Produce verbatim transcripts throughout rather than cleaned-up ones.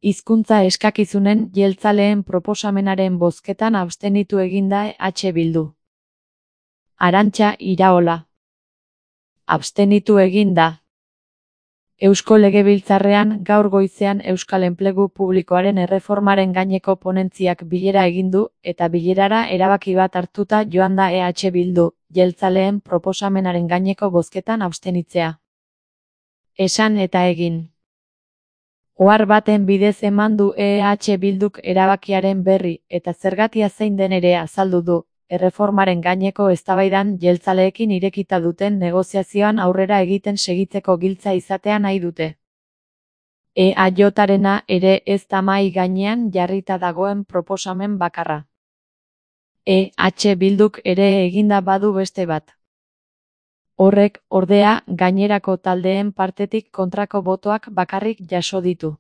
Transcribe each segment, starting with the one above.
Hizkuntza eskakizunen jeltzaleen proposamenaren bozketan abstenitu eginda E H Bildu. Arantxa Iraola. Abstenitu eginda. Eusko Legebiltzarrean gaur goizean Euskal Enplegu Publikoaren erreformaren gaineko ponentziak bilera egin du eta bilerara erabaki bat hartuta joan da E H Bildu, jeltzaleen proposamenaren gaineko bozketan abstenitzea. Esan eta egin. Ohar baten bidez eman du E H Bilduk erabakiaren berri eta zergatia zein den ere azaldu du, erreformaren gaineko eztabaidan jeltzaleekin irekita duten negoziazioan aurrera egiten segitzeko giltza izatea nahi dute. E A J-arena ere ez da mahai gainean jarrita dagoen proposamen bakarra. E H Bilduk ere eginda badu beste bat. Horrek, ordea, gainerako taldeen partetik kontrako botoak bakarrik jaso ditu.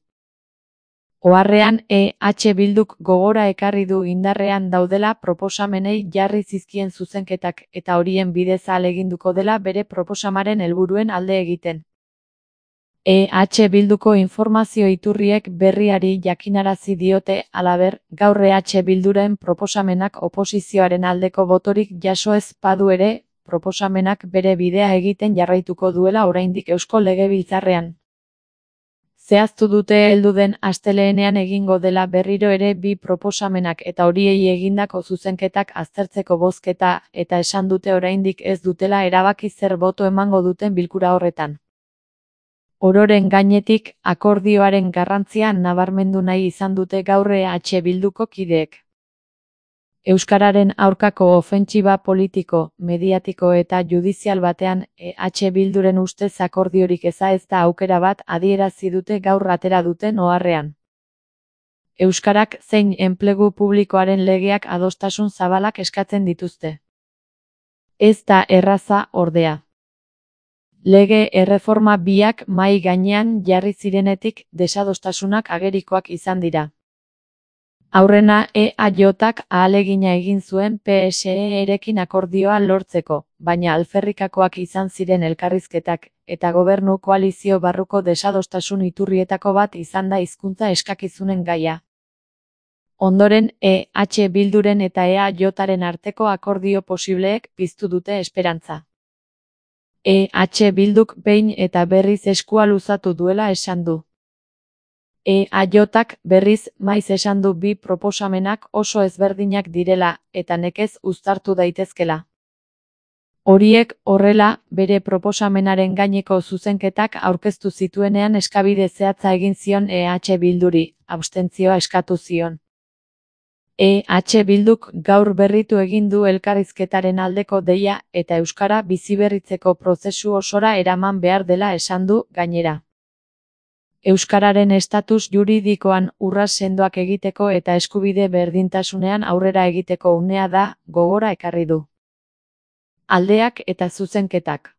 Oharrean E H Bilduk gogora ekarri du indarrean daudela proposamenei jarri zizkien zuzenketak eta horien bidez ahaleginduko dela bere proposamaren helburuen alde egiten. E H Bilduko informazio iturriek berriari jakinarazi diote, halaber, gaur E H Bilduren proposamenak oposizioaren aldeko botorik jaso ez badu ere, proposamenak bere bidea egiten jarraituko duela oraindik Eusko Legebiltzarrean. Zehaztu dute heldu den asteleenean egingo dela berriro ere bi proposamenak eta horiei egindako zuzenketak aztertzeko bozketa eta esan dute oraindik ez dutela erabaki zer boto emango duten bilkura horretan. Ororen gainetik, akordioaren garrantzia nabarmendu nahi izan dute gaur E H Bilduko kideek. Euskararen aurkako ofentsiba politiko, mediatiko eta judizial batean E H Bilduren ustez akordiorik eza ez da aukera bat adierazi dute gaur atera duten oharrean. Euskarak zein enplegu publikoaren legeak adostasun zabalak eskatzen dituzte. Ez da erraza, ordea. Lege erreforma biak mahai gainean jarri zirenetik desadostasunak agerikoak izan dira. Aurrena E A J-ak ahalegina egin zuen P S E-erekin akordioa lortzeko, baina alferrikakoak izan ziren elkarrizketak, eta gobernu koalizio barruko desadostasun iturrietako bat izan da hizkuntza eskakizunen gaia. Ondoren, E H Bilduren eta E A J-aren arteko akordio posibleek piztu dute esperantza. E H Bilduk behin eta berriz eskua luzatu duela esan du. E A J-ak berriz maiz esan du bi proposamenak oso ezberdinak direla eta nekez uztartu daitezkela. Horiek horrela, bere proposamenaren gaineko zuzenketak aurkeztu zituenean eskabide zehatza egin zion E H Bilduri, abstentzioa eskatu zion. E H Bilduk gaur berritu egin du elkarrizketaren aldeko deia eta euskara biziberritzeko prozesu osora eraman behar dela esan du, gainera. Euskararen estatus juridikoan urrats sendoak egiteko eta eskubide berdintasunean aurrera egiteko unea da, gogora ekarri du. Aldeak eta zuzenketak.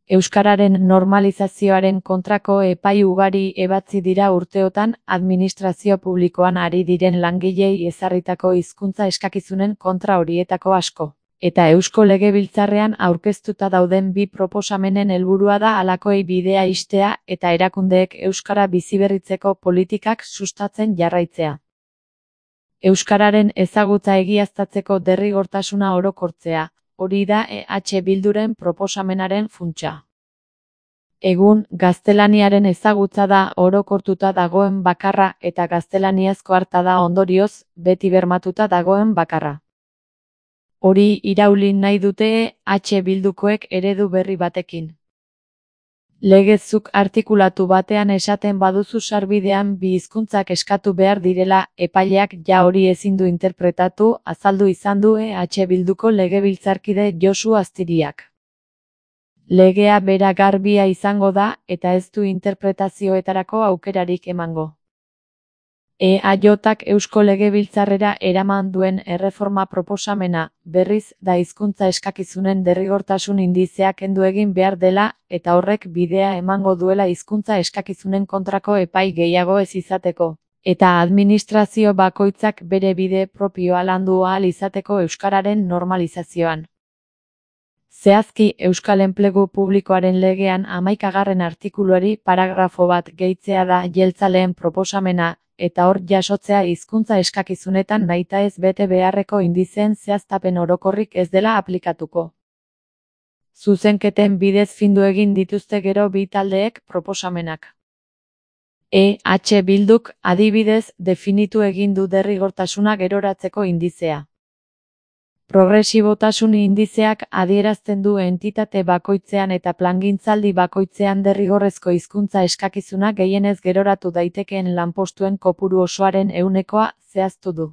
Euskararen normalizazioaren kontrako epai ugari ebatzi dira urteotan administrazio publikoan ari diren langilei ezarritako hizkuntza eskakizunen kontra horietako asko. Eta Eusko Legebiltzarrean aurkeztuta dauden bi proposamenen helburua da halakoei bidea ixtea eta erakundeek euskara biziberritzeko politikak sustatzen jarraitzea. Euskararen ezagutza egiaztatzeko derrigortasuna orokortzea, hori da E H Bilduren proposamenaren funtsa. Egun, gaztelaniaren ezagutza da orokortuta dagoen bakarra eta gaztelaniazko harta da ondorioz, beti bermatuta dagoen bakarra. Hori irauli nahi dute E H Bildukoek eredu berri batekin. Legezuk artikulatu batean esaten baduzu sarbidean bi hizkuntzak eskatu behar direla, epaileak ja hori ezin du interpretatu, azaldu izan du E H Bilduko legebiltzarkide Josu Aztiriak. Legea bera garbia izango da eta ez du interpretazioetarako aukerarik emango. E A J-ak Eusko Legebiltzarrera eraman duen erreforma proposamena, berriz, da hizkuntza eskakizunen derrigortasun indizea kendu egin behar dela, eta horrek bidea emango duela hizkuntza eskakizunen kontrako epai gehiago ez izateko, eta administrazio bakoitzak bere bide propioa landu ahal izateko euskararen normalizazioan. Zehazki, Euskal Enplegu Publikoaren legean hamaikagarren artikuluari paragrafo bat gehitzea da jeltzaleen proposamena, eta hor jasotzea hizkuntza eskakizunetan nahitaez bete beharreko indizeen zehaztapen orokorrik ez dela aplikatuko. Zuzenketen bidez findu egin dituzte gero bi taldeek proposamenak. E H Bilduk, adibidez, definitu egin du derrigortasuna geroratzeko indizea. Progresibotasun indizeak adierazten du entitate bakoitzean eta plangintzaldi bakoitzean derrigorrezko hizkuntza eskakizuna gehienez geroratu daitekeen lanpostuen kopuru osoaren ehunekoa zehaztu du.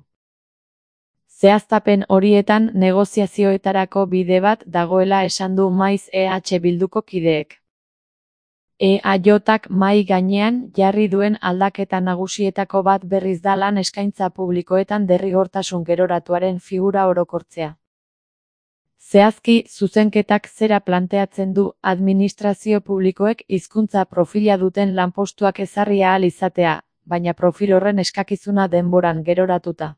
Zehaztapen horietan negoziazioetarako bide bat dagoela esan du maiz E H Bilduko kideek. E A Jk mahai gainean jarri duen aldaketa nagusietako bat berriz da lan eskaintza publikoetan derrigortasun geroratuaren figura orokortzea. Zehazki, zuzenketak zera planteatzen du administrazio publikoek hizkuntza profila duten lanpostuak ezarri ahal izatea, baina profil horren eskakizuna denboran geroratuta.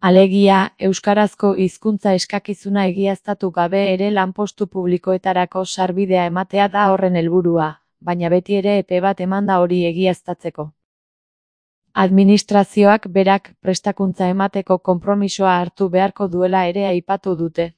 Alegia, euskarazko hizkuntza eskakizuna egiaztatu gabe ere lanpostu publikoetarako sarbidea ematea da horren helburua, baina beti ere epe bat emanda hori egiaztatzeko. Administrazioak berak prestakuntza emateko konpromisoa hartu beharko duela ere aipatu dute.